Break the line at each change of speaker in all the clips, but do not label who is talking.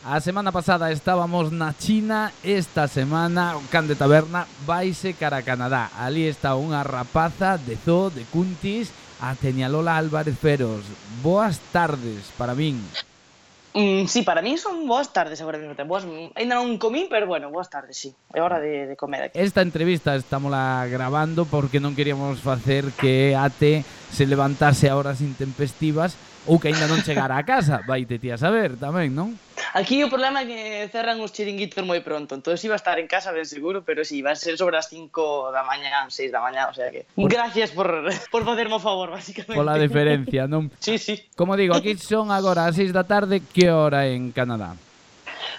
A semana pasada estábamos na China, esta semana o Can de Taberna vaise cara a Canadá. Ali está unha rapaza de Zoo, de Cuntis, a Teñalola Álvarez Feros. Boas tardes para min.
Sí, para mí son boas tardes agora mesmo. Ainda non comín, pero bueno, boas tardes, sí. É hora de comer aquí.
Esta entrevista estámola grabando porque non queríamos facer que Ate se levantase a horas intempestivas ou que aínda non chegara a casa. Vaite ti a saber tamén, non?
Aquí o problema é que cerran os chiringuitos moi pronto, entón iba a estar en casa ben seguro, pero sí, va a ser sobre as 5 da mañá, 6 da mañá, o sea que... Gracias por facerme o favor, básicamente.
Pola diferencia, non?
Sí, sí.
Como digo, aquí son agora as 6 da tarde, que hora en Canadá?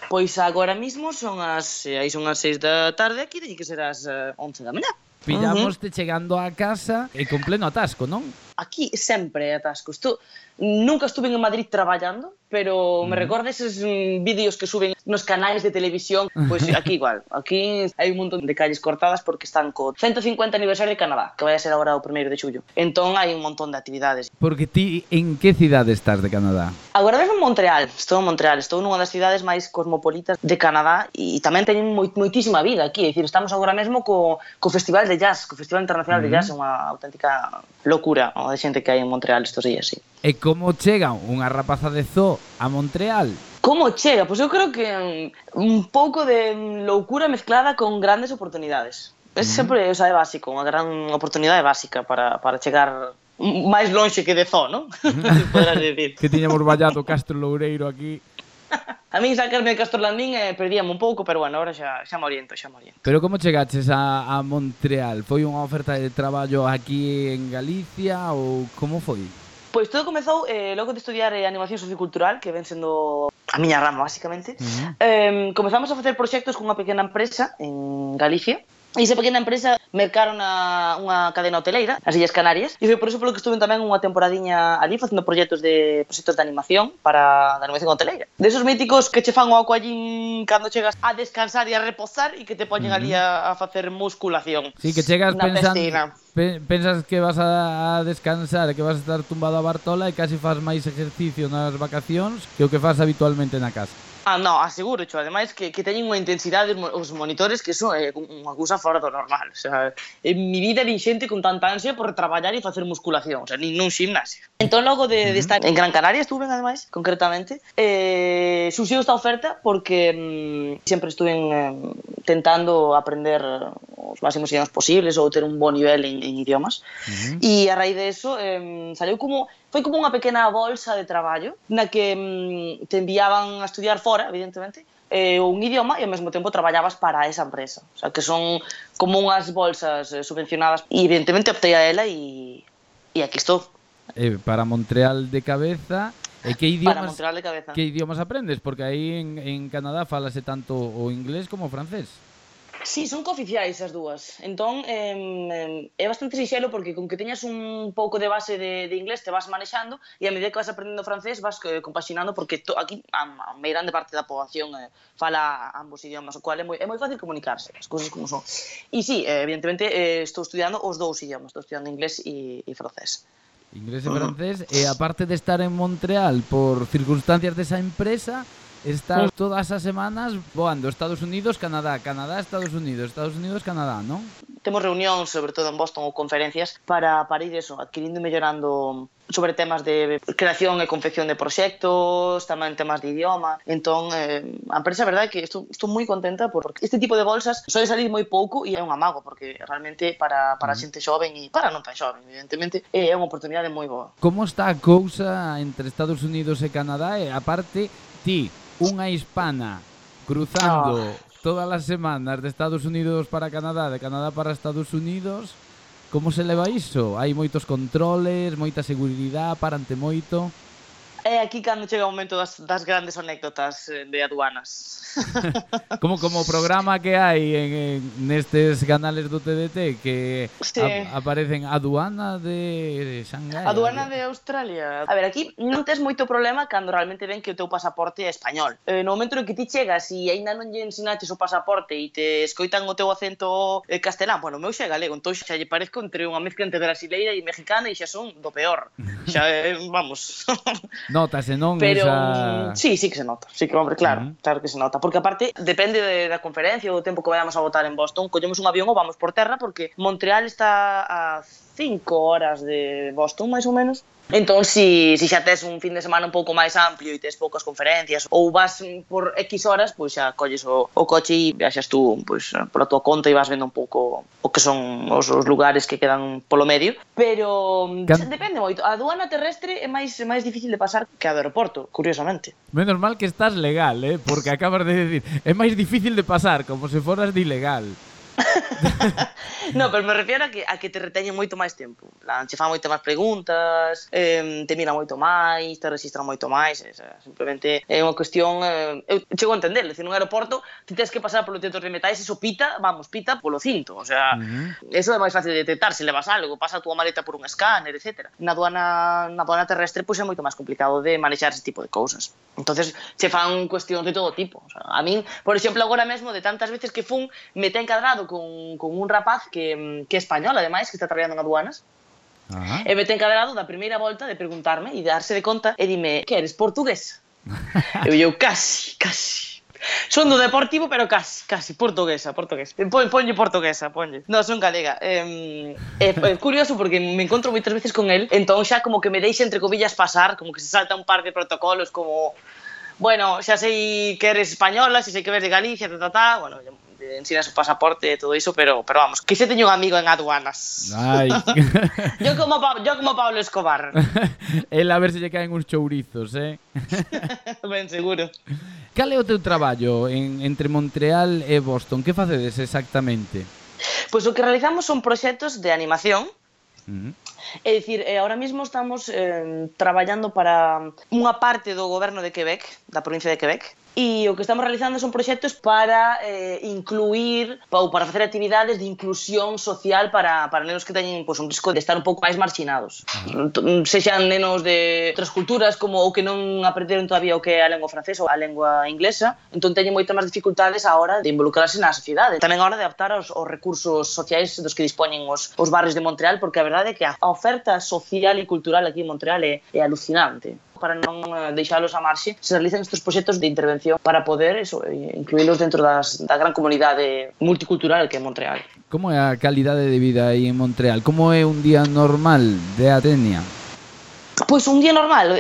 Pois agora mismo son as 6 da tarde, aquí teñen que ser as 11 da mañá.
Pillámoste chegando a casa e con pleno atasco, non?
Aquí sempre é atasco. Nunca estuve en Madrid traballando, pero me recorda eses vídeos que suben nos canais de televisión. Pois aquí igual. Aquí hai un montón de calles cortadas porque están co 150 aniversario de Canadá, que vai a ser agora o 1º de xullo. Entón hai un montón de actividades.
Porque ti en que cidade estás de Canadá?
Agora mesmo en Montreal. Estou nunha das cidades máis cosmopolitas de Canadá e tamén teñen moitísima vida aquí. É dicir, estamos agora mesmo co Festival de Jazz, co Festival Internacional de Jazz, é unha auténtica locura de xente que hai en Montreal estos días, sí.
E como chega unha rapaza de Zoo a Montreal?
Como chega? Pois eu creo que un pouco de loucura mezclada con grandes oportunidades. É sempre, o sea, é básico, unha gran oportunidade básica para chegar máis lonxe que de Zoo, non? Poderás dicir.
Que tiñamos vallado Castro Loureiro aquí.
A min sacarme de Castorlandín perdíame un pouco, pero bueno, ahora xa me oriento.
Pero como chegaches a Montreal? Foi unha oferta de traballo aquí en Galicia ou como foi?
Pois todo comezou logo de estudiar animación sociocultural, que ven sendo a miña rama, basicamente. Comezamos a facer proxectos cunha pequena empresa en Galicia. E esa pequena empresa mercaron unha cadena hoteleira, as Illas Canarias, e foi por eso polo que estuve tamén unha temporadiña ali facendo proxectos de animación de animación hoteleira. Desos míticos que che fan o acollín cando chegas a descansar e a reposar e que te poñen ali a facer musculación.
Sí, que chegas
pensando...
Pensas que vas a descansar, que vas a estar tumbado a Bartola e casi faz máis exercicio nas vacacións que o que faz habitualmente na casa.
No, aseguro, ademais que teñen unha intensidade os monitores que son unha cousa fora do normal. O sea, en mi vida vi xente con tanta ansia por traballar e facer musculación, o sea, nin nun gimnasio. Entón, logo de estar en Gran Canaria, estuve, ademais, concretamente, surxiu esta oferta porque sempre estuve tentando aprender os máximos idiomas posibles ou ter un bo nivel en idiomas. E a raíz de eso, foi como unha pequena bolsa de traballo na que te enviaban a estudiar fora, evidentemente, un idioma e ao mesmo tempo traballabas para esa empresa. O sea, que son como unhas bolsas subvencionadas e evidentemente optei a ela e aquí estou.
Para Montreal de cabeza. E que idiomas aprendes? Porque aí en Canadá falase tanto o inglés como o francés.
Sí, son cooficiais as dúas. Entón, é bastante sinxelo porque con que teñas un pouco de base de inglés te vas manexando e a medida que vas aprendendo francés vas compaxinando porque aquí a moi grande parte da poboación fala ambos idiomas, o cual é moi fácil comunicarse, as cousas como son. E sí, evidentemente estou estudiando os dous idiomas, estou estudiando inglés e francés.
Inglés e francés, e aparte de estar en Montreal por circunstancias desa empresa, estás todas as semanas voando Estados Unidos, Canadá, Canadá, Estados Unidos, Canadá, non?
Temos reunións, sobre todo en Boston, ou conferencias para ir adquirindo e mellorando sobre temas de creación e confección de proxectos, tamén temas de idioma. Entón, a empresa, a verdade, que estou moi contenta porque este tipo de bolsas soe salir moi pouco e é un amago, porque realmente para xente xoven e para non tan xoven, evidentemente, é unha oportunidade moi boa.
Como está a cousa entre Estados Unidos e Canadá? E aparte, ti, unha hispana cruzando todas as semanas de Estados Unidos para Canadá, de Canadá para Estados Unidos, como se leva iso? Hai moitos controles, moita seguridade, parante moito?
É aquí cando chega o momento das grandes anécdotas de aduanas.
Como o programa que hai nestes canales do TDT que sí. Aparecen aduana de Shanghai.
Aduana de Australia. A ver, aquí non tes moito problema cando realmente ven que o teu pasaporte é español. No momento en que ti chegas e aínda non lle ensinaches o pasaporte e te escoitan o teu acento castelán, bueno, o meu xa é galego, entón xa lle parezco entre unha mezcla entre brasileira e mexicana e xa son do peor. Xa, vamos.
No, Nótase, non?
Pero
Esa...
sí que se nota. Sí que, hombre, claro, claro que se nota. Porque aparte, depende da conferencia ou do tempo que vayamos a botar en Boston, collemos un avión ou vamos por terra, porque Montreal está a 5 horas de Boston, máis ou menos. Entón, si xa tes un fin de semana un pouco máis amplio e tes poucas conferencias ou vas por X horas, pois xa colles o coche e viaxas tú pois, pola tua conta e vas vendo un pouco o que son os lugares que quedan polo medio. Pero depende moito. A aduana terrestre é máis difícil de pasar que a do aeroporto, curiosamente.
Menos mal que estás legal, porque acabas de decir é máis difícil de pasar, como se foras de ilegal.
No, pero me refiero a que te reteñen moito máis tempo. Che fan moito máis preguntas, te miran moito máis, te registran moito máis. Simplemente é unha cuestión... eu chego a entender, decir, nun aeroporto ti tens que pasar polo detector de metais, eso pita polo cinto. O sea, eso é máis fácil de detectar se levas algo, pasa a túa maleta por un escáner, etc. Na aduana terrestre pois é moito máis complicado de manexar ese tipo de cousas. Entonces, che fan cuestións de todo tipo. O sea, a min, por exemplo, agora mesmo, de tantas veces que fun, me ten encadrado con un rapaz que é español, ademais, que está traballando en aduanas. E me ten encadrado da primeira volta de preguntarme e de darse de conta e dime, que eres portugués? E eu, casi. Son do Deportivo, pero casi, portuguesa. Ponlle portuguesa, ponlle. No, son galega. É curioso porque me encontro moitas veces con él, entón xa como que me deixa entre cobillas pasar, como que se salta un par de protocolos, como... Bueno, xa sei que eres española, xa sei que eres de Galicia, bueno, ensinas o pasaporte e todo iso, pero vamos, que se teño un amigo en aduanas.
Ai.
Yo como Pablo Escobar.
El a ver se lle caen uns chourizos,
Ben seguro.
Cal é o teu traballo entre Montreal e Boston? Que facedes exactamente?
Pois o que realizamos son proxectos de animación. É dicir, ahora mesmo estamos traballando para unha parte do goberno de Quebec, da provincia de Quebec, e o que estamos realizando son proxectos para incluir ou para facer actividades de inclusión social para nenos que teñen un risco de estar un pouco máis marxinados. Sexan nenos de outras culturas como ou que non aprenderon todavía o que é a lengua francesa ou a lengua inglesa, entón teñen moitas máis dificultades a hora de involucrarse na sociedade. Tamén a hora de adaptar aos recursos sociais dos que dispoñen os barrios de Montreal, porque a verdade é que a oferta social e cultural aquí en Montreal é alucinante. Para non deixalos a marxe, se realizan estes proxectos de intervención para poder incluílos dentro da gran comunidade multicultural que é Montreal.
Como é a calidade de vida aí en Montreal? Como é un día normal de Atenia?
Pois un día normal,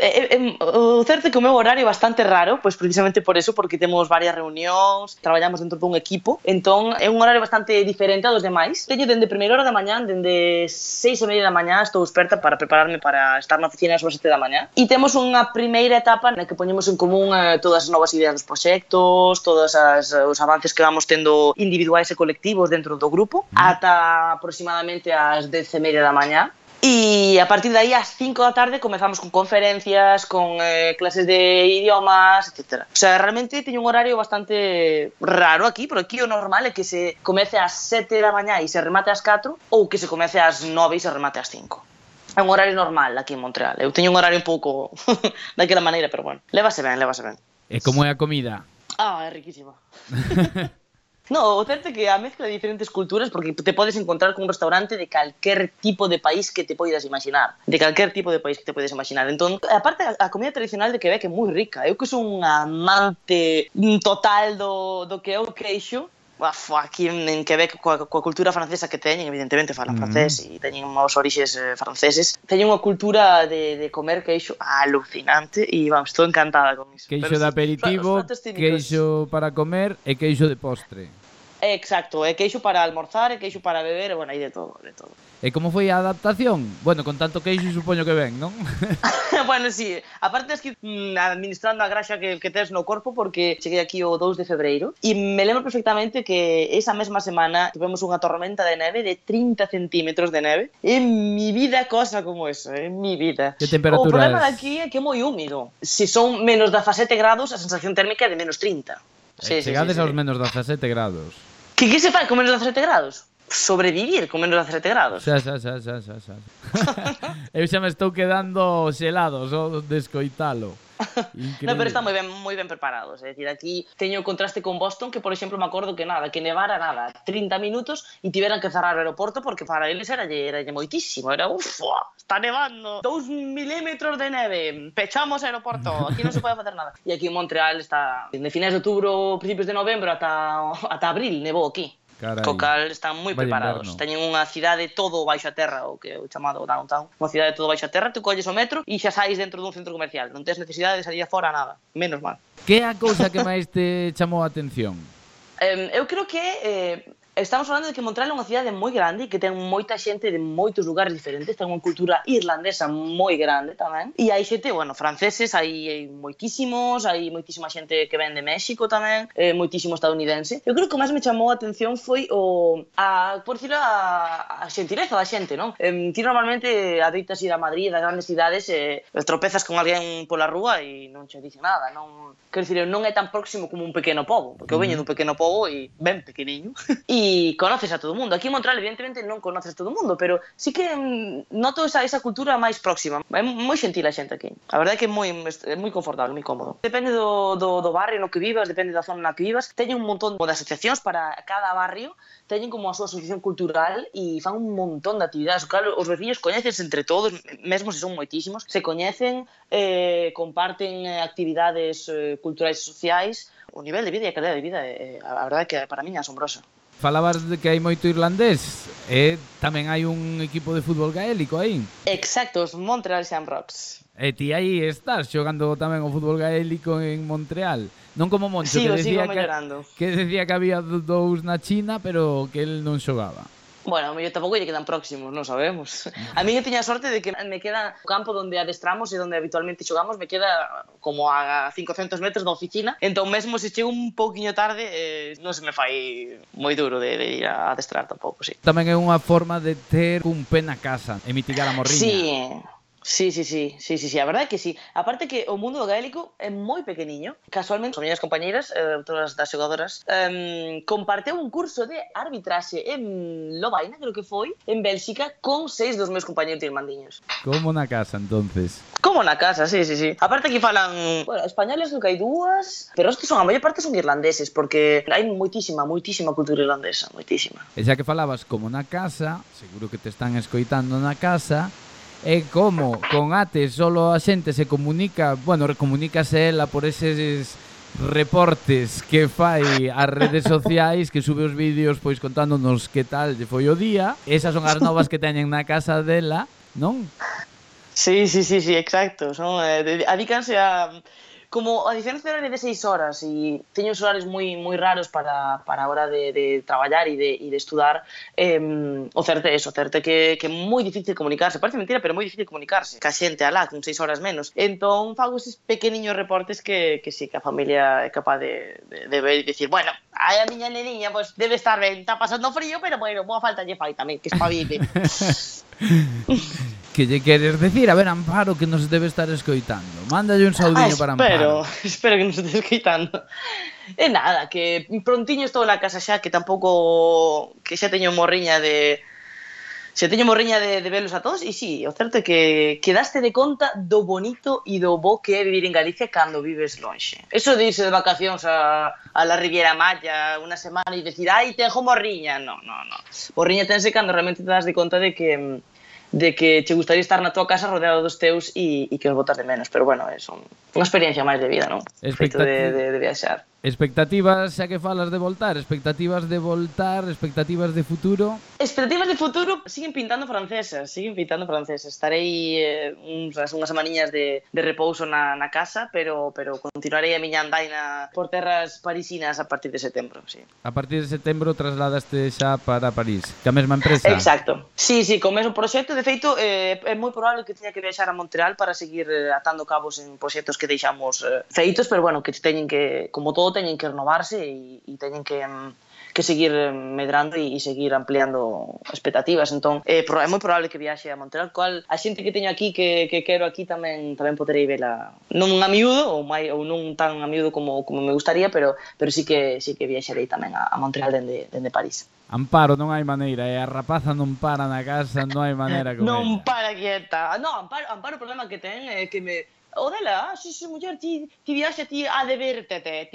o certo é que o meu horario é bastante raro, pois precisamente por eso, porque temos varias reunións, traballamos dentro dun equipo, entón é un horario bastante diferente a dos demais. Teño dende primeira hora da mañá, dende 6:30 da mañá, estou experta para prepararme para estar na oficina ás 7 da mañá. E temos unha primeira etapa na que poñemos en común todas as novas ideas dos proxectos, todos os avances que vamos tendo individuais e colectivos dentro do grupo, ata aproximadamente ás 10:30 da mañá. E a partir de aí, ás 5 da tarde, comezamos con conferencias, con clases de idiomas, etc. O sea, realmente teño un horario bastante raro aquí, pero aquí o normal é que se comece ás 7 da mañá e se remate ás 4, ou que se comece ás 9 e se remate ás 5. É un horario normal aquí en Montreal. Eu teño un horario un pouco daquela maneira, pero bueno, lévase ben.
E como é a comida?
É riquísima. No, o certo é que a mezcla de diferentes culturas, porque te podes encontrar con un restaurante de calquer tipo de país que te poidas imaginar. Entón, aparte, a comida tradicional de Quebec é moi rica. Eu que son un amante total do que é o queixo, aquí en Quebec, coa cultura francesa que teñen, evidentemente falan francés e teñen os orixes franceses, teñen unha cultura de comer queixo alucinante e vamos, estou encantada con iso.
Queixo de aperitivo, queixo para comer e queixo de postre.
Exacto, e queixo para almorzar, e queixo para beber, e bueno, hai de todo.
E como foi a adaptación? Bueno, con tanto queixo supoño que ben, non?
Bueno, sí, aparte es que administrando a graxa que tes no corpo, porque cheguei aquí o 2 de febreiro, e me lembro perfectamente que esa mesma semana tivemos unha tormenta de neve de 30 centímetros de neve. En mi vida cosa como eso, en mi vida.
Que temperaturas?
O problema daqui é que é moi húmido. Se son menos 17 grados, a sensación térmica é de menos 30.
Chegades aos menos 17 grados.
Que se fai con menos 17 grados? Sobrevivir con menos 17 grados.
Xa. Eu xa me estou quedando xelado só de escoitalo.
No, pero están moi ben preparados. É dicir, aquí teño o contraste con Boston, que, por exemplo, me acordo que que nevara 30 minutos e tiveran que cerrar o aeroporto porque para eles era moitísimo. Era, está nevando, 2 milímetros de neve, pechamos o aeroporto, aquí non se pode facer nada. E aquí en Montreal está, de finais de outubro, principios de novembro, ata abril, nevou aquí.
Carai.
Co cal están moi preparados. Teñen unha cidade todo baixo a terra, o que é o chamado downtown. Unha cidade todo baixo a terra, tu colles o metro e xa sais dentro dun centro comercial. Non tes necesidade de salir fora nada, menos mal.
Que é a cousa que máis te chamou a atención?
Eu creo que estamos falando de que Montreal é unha cidade moi grande e que ten moita xente de moitos lugares diferentes, ten unha cultura irlandesa moi grande tamén, e hai xente, franceses, hai moitísimos, hai moitísima xente que ven de México tamén, moitísimo estadounidense. Eu creo que o máis me chamou a atención foi por decirlo, a xentileza da xente, non? Ti normalmente adoitas ir a Madrid, das grandes cidades, tropezas con alguén pola rúa e non che dice nada, non? Quero dicir, non é tan próximo como un pequeno pobo, porque eu veño dun pequeno pobo e ben pequeniño, e conoces a todo o mundo. Aquí en Montreal, evidentemente, non conoces a todo o mundo, pero sí que noto esa cultura máis próxima. É moi xentil a xente aquí. A verdade é que é moi confortable, moi cómodo. Depende do barrio no que vivas, depende da zona na que vivas. Teñen un montón de asociacións para cada barrio, teñen como a súa asociación cultural e fan un montón de actividades. Claro, os veciños coñecense entre todos, mesmo se son moitísimos, se coñecen, comparten actividades culturais e sociais. O nivel de vida e a calidad de vida, a verdade é que para min é asombrosa.
Falabas de que hai moito irlandés, tamén hai un equipo de fútbol gaélico aí.
Exacto, os Montreal Shamrocks.
E ti aí estás xogando tamén o fútbol gaélico en Montreal. Non como Moncho,
que
decía que había dous na China, pero que el non xogaba.
Bueno, yo tampouco lle quedan próximos, non sabemos. A mí que tiña sorte de que me queda o campo onde adestramos e onde habitualmente xogamos, me queda como a 500 metros da oficina, entón mesmo se chego un pouquiño tarde, non se me fai moi duro de ir a adestrar tampouco, sí.
Tamén é unha forma de ter un pé na casa e mitigar a morriña.
Sí, a verdade é que sí. Aparte que o mundo do gaélico é moi pequeniño. Casualmente, as miñas compañeiras, todas das xogadoras, comparteu un curso de arbitraxe en Lovaina, creo que foi, en Bélxica, con 6 dos meus compañeiros irmandiños.
Como na casa, entonces?
Como na casa, sí. Aparte que falan, españoles do que hai dúas, pero os que son, a maior parte son irlandeses, porque hai moitísima cultura irlandesa, moitísima.
E xa que falabas como na casa, seguro que te están escoitando na casa, é como con Ate solo a xente se comunica, comunícase ela por eses reportes que fai ás redes sociais, que sube os vídeos pois contándonos que tal lle foi o día. Esas son as novas que teñen na casa dela, non?
Sí, exacto. Son, adícanse a... Como a diferencia horaria de 6 horas e teño uns horarios moi raros para a hora de traballar e de estudar, o certo é eso, que é moi difícil comunicarse. Parece mentira, pero moi difícil comunicarse ca xente alá, con 6 horas menos. Entón fago eses pequeniños reportes que sí, que a familia é capaz de ver e dicir, bueno, a miña neniña pues, debe estar ben, está pasando frío, pero boa falta lle fai tamén, que espabile.
Que lle queres decir? A ver, Amparo, que nos debe estar escoitando. Mándalle un saudiño para Amparo.
Espero que nos este escoitando. E nada, que prontiño estou na casa xa, que tampouco... que xa teño morriña de... de velos a todos, e sí, o certo é que quedaste de conta do bonito e do bo que é vivir en Galicia cando vives lonxe. Eso de irse de vacacións a la Riviera Maya unha semana e decir, ai, tengo morriña. No. Morriña tense cando realmente te das de conta de que che gustaría estar na tua casa rodeado dos teus e que os botas de menos. Pero bueno, é unha experiencia máis de vida, non? Feito de viaxar.
Expectativas, xa que falas de voltar, expectativas de futuro?
Expectativas de futuro siguen pintando francesas. Estarei unhas semaniñas de repouso na casa, pero continuarei a miña andaina por terras parisinas a partir de setembro, sí.
A partir de setembro trasladaste xa para París, que a mesma empresa?
Exacto. Sí, co mesmo proxecto. De feito, é moi probable que teña que viaxar a Montreal para seguir atando cabos en proxectos que deixamos feitos, pero bueno, que teñen que, como todo, teñen que renovarse e teñen que seguir medrando e seguir ampliando expectativas. Entón, é moi probable que viaxe a Montreal, cual a xente que teño aquí, que quero aquí, tamén poderei vela non a miúdo, ou non tan a miúdo como me gustaría, pero sí que viaxarei tamén a Montreal dende París.
Amparo, non hai maneira, a rapaza non para na casa, non hai maneira con
non ela. Non para quieta. No, Amparo o problema que ten é que O dela, si, muller, ti viaxe, ti ha de vértete,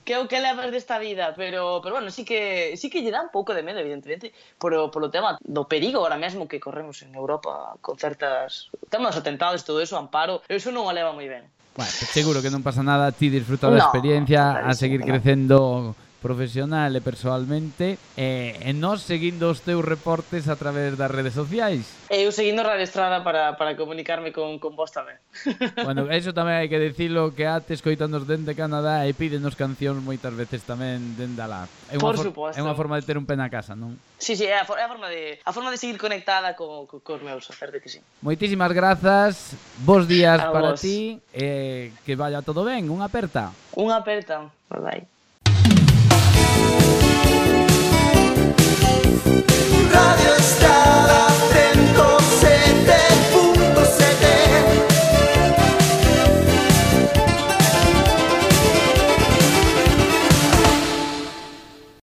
que é o que levas desta vida, pero bueno, sí que lle dá un pouco de medo, evidentemente, polo tema do perigo ahora mesmo que corremos en Europa con certas temas atentados e todo eso, Amparo, eso non o leva moi ben.
Bueno, pues seguro que non pasa nada, ti disfruta da experiencia, a seguir crecendo profesional e persoalmente, e nós seguindo os teus reportes a través das redes sociais.
Eu seguindo Radio Estrada para comunicarme con vos tamén.
Bueno, eso tamén hai que dicilo, que Ate escoitanos dende Canadá e pídenos cancións moitas veces tamén dende alá.
Por suposto.
É unha forma de ter un pé na casa, non?
Sí, é a forma de seguir conectada cos meus, a certo que sí.
Moitísimas grazas, bons días
a
para
vos.
ti, que vaya todo ben, unha aperta.
Unha aperta, bye.
Radio Estrada.